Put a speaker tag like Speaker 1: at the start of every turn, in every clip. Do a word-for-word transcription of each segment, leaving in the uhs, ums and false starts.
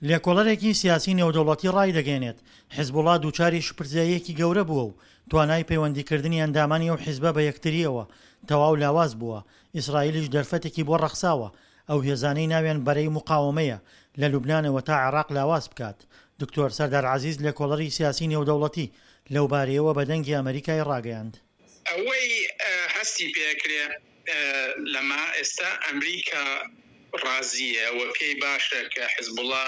Speaker 1: لێکۆڵەرێکی سیاسی نێودەوڵەتی ڕایدەگەیەنێت، حزبوڵا دووچاری شپرزەییەکی گەورە بووە و توانای پەیوەندیکردنی ئەندامانی ئەو حزبە بە یەکترییەوە تەواو لاواز بووە، ئیسرائیلیش دەرفەتێکی بۆ ڕەخساوە ئەو هێزانەی ناویان بەرەی موقاوەمەیە لە لوبنانەوە تا عێراق لاواز بکات. دکتۆر سەردار عەزیز لێکۆڵەری سیاسی نێودەوڵەتی لەوبارەیەوە بە دەنگی ئەمەریکای ڕاگەیاند.
Speaker 2: ئەوەی هەستی پێکرێ لەمە ئێستا ئەمریکا ڕازیە و پێی باشە کە حزبوڵا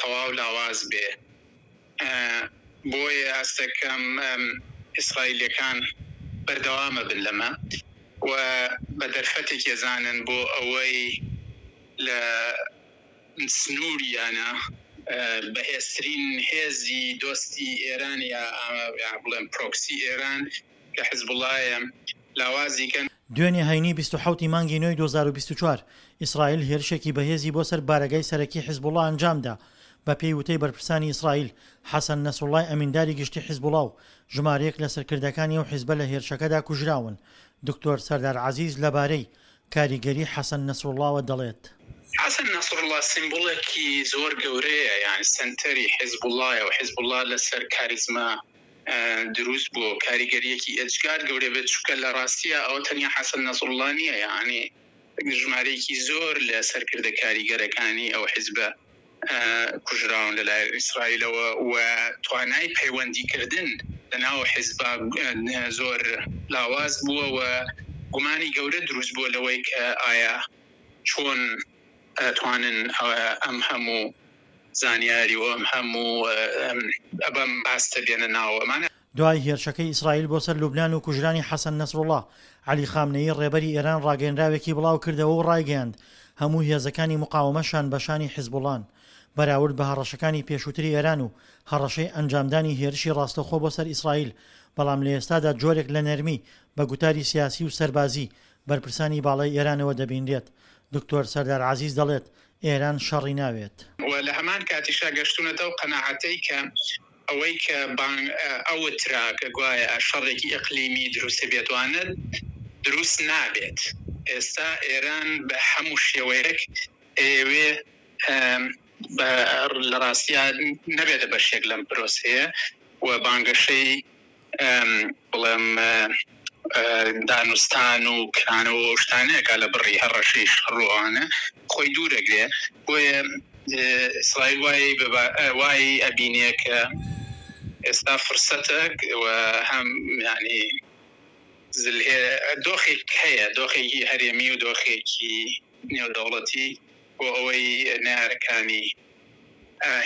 Speaker 2: تەواو لاواز بێ، بۆیە هەستەکەم ئیسرائیلەکان بەردەوامە بن لەمە و بە دەرفەتێک ێزانن بۆ ئەوەی لە سنووریانە بەهێزترین هێزی دۆستی ئێران یا بڵێم پرۆکسی ئێران کە حزبوڵایە لاوازی کەن.
Speaker 1: دوێنێ هەینی بیست و حەوت ی مانگی نۆی دوو هەزار و بیست و چوار، ئیسرائیل هێرشێکی بەهێزی بۆ سەر بارەگای سەرەکی حزبوڵا ئەنجامدا. بەپێی وتەی بەرپرسانی ئیسرائیل، حەسەن نەسروڵای ئەمینداری گشتی حزبوڵا و ژمارەیەک لە سەرکردەکانی ئەو حزبە لە هێرشەکەدا کوژراون. دکتۆر سەردار عەزیز لەبارەی کاریگەری حەسەن نەسروڵاوە دەڵێت.
Speaker 2: حەسەن نەسروڵا سیمبوڵێکی زۆر گەورەیە، یان سەنتەری حزبوڵایە و حزبوڵا لەسەر کاریزما دروست بووە، کاریگەریەکی ئێجگار گەورە بێت، چونکە لە ڕاستیە ئەوە تەنیا حەسەن نەسروڵا نییە، یعنی ژمارەیەکی زۆر لە سەرکردە کاریگەرەکانی ئەو حزبە کوژراون لەلایەن ئیسرائیلەوە و توانای پەیوەندیکردن لەناو حزبا زۆر لاواز بووە و گومانی گەورە دروست بووە لەوەی کە ئایا چۆن توانن ئەم هەموو زانیاری و ئەم هەموو ئەبەم ئاستە بێنە ناوەمانە.
Speaker 1: دوای هێرشەکەی ئیسرائیل بۆ سەر لوبنان و کوژرانی حەسەن نەسروڵا، عەلی خامنەیی ڕێبەری ئێران ڕاگەیەنراوێکی بڵاو کردەوە و ڕایگەیاند هەموو هێزەکانی مقاومە شان بە شانی حزبوڵان. بەراورد بە هەڕەشەکانی پێشووتری ئێران و هەڕەشەی ئەنجامدانی هێرشی ڕاستەوخۆ بۆ سەر ئیسرائیل، بەڵام لە ئێستادا جۆرێک لە نەرمی بە گوتاری سیاسی و سەربازی بەرپرسانی باڵای ئێرانەوە دەبینرێت. دکتۆر سەردار عەزیز دەڵێت ئێران شەڕی ناوێت.
Speaker 2: و لە هەمان کاتیشا گەشتونەتەوە قەناعەتەی کە ئەوەی کە بانگ ئەوترا کە گوایە شەڕێکی ئیقلیمی دروست بێتوانێت دروست نابێت. ئێستا ئێران بە هەموو شێوەیەک ئەیەوێ لە ڕاستیا نەبێتە بەشێک لەم پرۆسەیە و بانگەشەی بڵێم دانوستان و کرانەوە و شتانەیەکە لە بڕی هەڕەشەی شەڕ و ئەوانە خۆی دوورەگرێ. بۆیە ئیسرائیل وای وای ئەبینێ کە ئێستا فرسەتە و هەم یعنی دۆخێک هەیە، دۆخێکی هەرێمی و دۆخێکی نێودەوڵەتی بۆ ئەوەی نەیارەکانی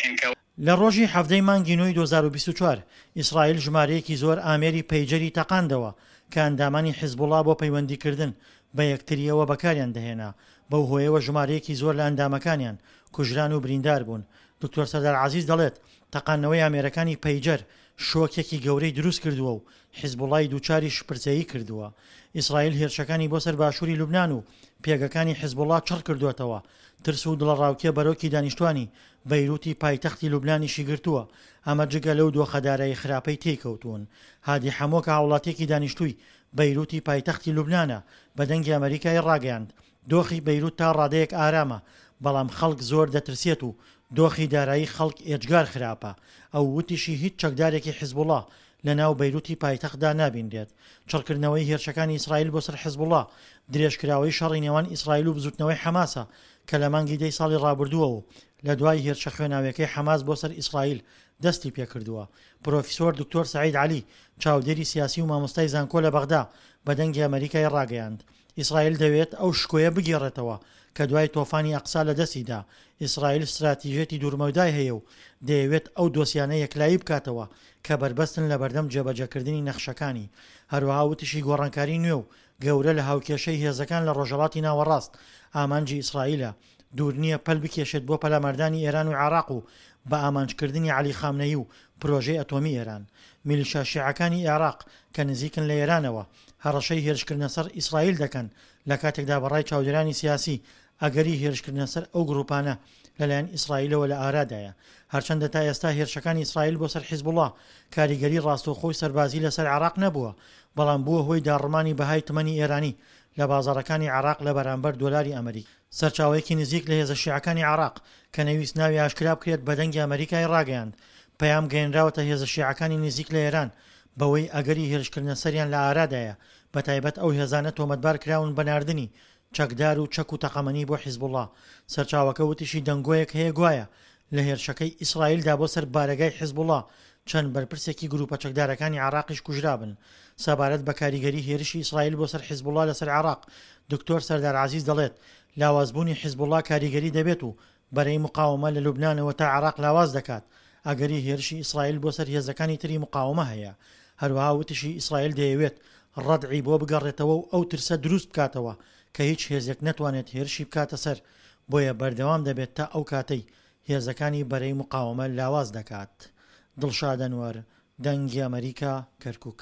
Speaker 2: هێنکە.
Speaker 1: لە ڕۆژی حەڤدەی مانگی نۆی دوو هەزار و بیست و چوار ئیسرائیل ژمارەیەکی زۆر ئامێری پەیجەری تەقاندەوە کە ئەندامانی حزبوڵا بۆ پەیوەندیکردن بە یەکتریەوە بەکاریان دەهێنا، بەو هۆیەوە ژمارەیەکی زۆر لە ئەندامەکانیان کوژران و بریندار بوون. دکتۆر سەردار عەزیز دەڵێت تەقاندنەوەی ئامێرەکانی پەیجەر شۆکێکی گەورەی دروست کردووە و حزبوڵای دووچاری شپرزەیی کردووە. ئیسرائیل هێرشەکانی بۆ سەر باشووری لوبنان و پێگەکانی حزبوڵا چڕ کردووەتەوە. ترس و دڵەڕاوکێ بەرۆکی دانیشتوانی بەیروتی پایتەختی لوبنانیشی گرتووە، ئەمە جگە لەو دۆخەدارایی خراپەی تێیکەوتوون. هادی حەمۆ کە هاوڵاتیەکی دانیشتووی بەیروتی پایتەختی لوبنانە بە دەنگی ئەمریکای ڕاگەیاند دۆخی بەیروت تا ڕادەیەک ئارامە، بەڵام خەڵک زۆر دەترسێت و دۆخی دارایی خەڵک ئێجگار خراپە. ئەو وتیشی هیچ چەکدارێکی حزبوڵا لە ناو بەیروتی پایتەختدا نابینرێت. چڕکردنەوەی هێرشەکانی ئیسرائیل بۆ سەر حزبوڵا درێژکراوەی شەڕی نێوان ئیسرائیل و بزوتنەوەی حەماسە کە لە مانگی دەی ساڵی ڕابردووە و لە دوای هێرشە خوێناویەکەی حەماس بۆ سەر ئیسرائیل دەستی پێکردووە. پرۆفیسۆر دکتۆر سعید عەلی چاودێری سیاسی و مامۆستای زانکۆ لە بەغدا بە دەنگی ئەمریکای ڕاگەیاند ئیسرائیل دەوێت ئەو شکۆیە بگێڕێتەوە کە دوای تۆفانی ئەقسا لە دەستیدا. ئیسرائیل استراتیژیەتی دوورمەودای هەیە و دەیەوێت ئەو دۆسیانە یەکلایی بکاتەوە کە بەربەستن لە بەردەم جێبەجێکردنی نەخشەکانی. هەروەها وتیشی گۆڕانکاری نوێ و گەورە لە هاوکێشەی هێزەکان لە ڕۆژهەڵاتی ناوەڕاست ئامانجی ئیسرائیلە. دوور نییە پەل بکێشێت بۆ پەلاماردانی ئێران و عێراق و بە ئامانجکردنی عەلی خامنەیی و پرۆژەی ئەتۆمی ئێران. میلیشیا شیعەکانی عێراق کە نزیکن لە ئێرانەوە هەڕەشەی هێرشکردنە سەر ئیسرائیل دەکەن، لە کاتێکدا بەڕای چاودێرانی سیاسی ئەگەری هێرشکردنە سەر ئەو گروپانە لەلایەن ئیسرائیلەوە لە ئارادایە. هەرچەندە تا ئێستا هێرشەکانی ئیسرائیل بۆ سەر حیزبوڵا کاریگەری ڕاستەوخۆی سەربازی لەسەر عێراق نەبووە، بەڵام بووە هۆی داڕمانی بەهای تمەنی ئێرانی لە بازاڕەکانی عێراق لە بەرامبەر دۆلاری ئەمریکی. سەرچاوەیەکی نزیک لە هێزە شیعەکانی عێراق کە نەیویست ناوی ئاشکرا بکرێت بە دەنگی ئەمەریکای ڕاگەیاند، پەیام گەیەنراوەتە هێزە شیعەکانی نزیک لە ئێران بەوەی ئەگەری هێرشکردنە سەریان لە ئارادایە، بەتایبەت ئەو هێزانە تۆمەتبار کراون بە ناردنی چەکدار و چەک و تەقەمەنی بۆ حیزبوڵڵا. سەرچاوەکە وتیشی دەنگۆیەک هەیە گوایە لە هێرشەکەی ئیسرائیلدا بۆ سەر بارەگای حیزبوڵڵا چەند بەرپرسێکی گروپە چەکدارەکانی عێراقیش کوژرابن. سەبارەت بە کاریگەری هێرشی ئیسرائیل بۆ سەر حیزبوڵڵا لەسەر عێراق، دکتۆر سەردار عەزیز دەڵێت، لاوازبوونی حیزبوڵڵا کاریگەری دەبێت و بەرەی مقاوەمە لە لوبنانەوە تا عێراق لاواز دەکات، ئەگەری هێرشی ئیسرائیل بۆ سەر هێزەکانی تری مقاوەمە هەیە. هەروەها وتیشی ئیسرائیل دەیەوێت ڕەدعی بۆ بگەڕێتەوە و ئەو ترسە دروست بکاتەوە کە هیچ هێزێک نەتوانێت هێرشی بکاتە سەر، بۆیە بەردەوام دەبێت تا ئەو کاتەی هێزەکانی بەرەی مقاوەمە لاواز دەکات. دڵشاد ئەنوەر، دەنگی ئەمەریکا، کەرکوک.